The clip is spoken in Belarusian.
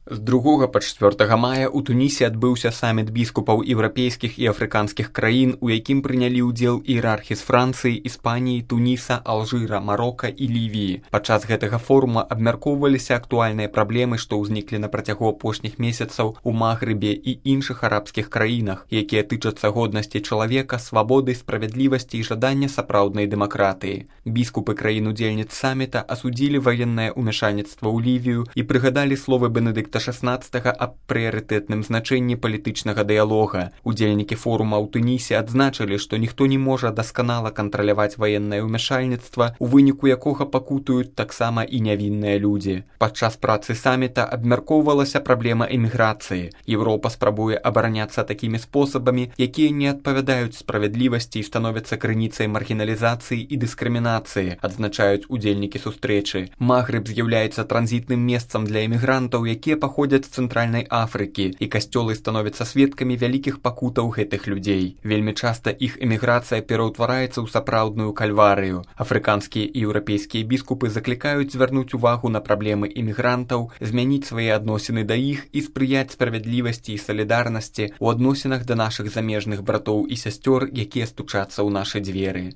З 2 па 4 мая ў Тунісе адбыўся саміт біскупаў еўрапейскіх і афрыканскіх краін, у якім прынялі ўдзел іерархі з Францыі, Іспаніі, Туніса, Алжыра, Марока і Лівіі. Падчас гэтага форума абмяркоўваліся актуальныя праблемы, што ўзніклі на працягу апошніх месяцаў у Магрыбе і іншых арабскіх краінах, якія тычацца годнасці чалавека, свабоды, справядлівасці і жадання сапраўднай дэмакратыі. Біскупы краін-удзельніц саміта асудзілі ваеннае ўмяшальніцтва ў Лівію і прыгадалі словы Бенедыкта XVI аб прыярытэтным значэнні палітычнага дыялога. Удзельнікі форума ў Тунісе адзначылі, што ніхто не можа дасканала кантраляваць ваеннае ўмяшальніцтва, у выніку якога пакутуюць таксама і нявінныя людзі. Падчас працы саміта абмяркоўвалася праблема эміграцыі. Еўропа спрабуе абараняцца такімі спосабамі, якія не адпавядаюць справядлівасці і становяцца крыніцай маргіналізацыі і дыскрымінацыі, адзначаюць удзельнікі сустрэчы. Магрыб з'яўляецца транзітным месцам для эмігрантаў, якія паходзяць з Цэнтральнай Афрыкі, і касцёлы становяцца сведкамі вялікіх пакутаў гэтых людзей. Вельмі часта іх эміграцыя пераўтвараецца ў сапраўдную кальварыю. Афрыканскія і еўрапейскія біскупы заклікаюць звярнуць увагу на праблемы эмігрантаў, змяніць свае адносіны да іх і спрыяць справядлівасці і салідарнасці ў адносінах да нашых замежных братоў і сясцёр, якія стучацца ў нашы дзверы.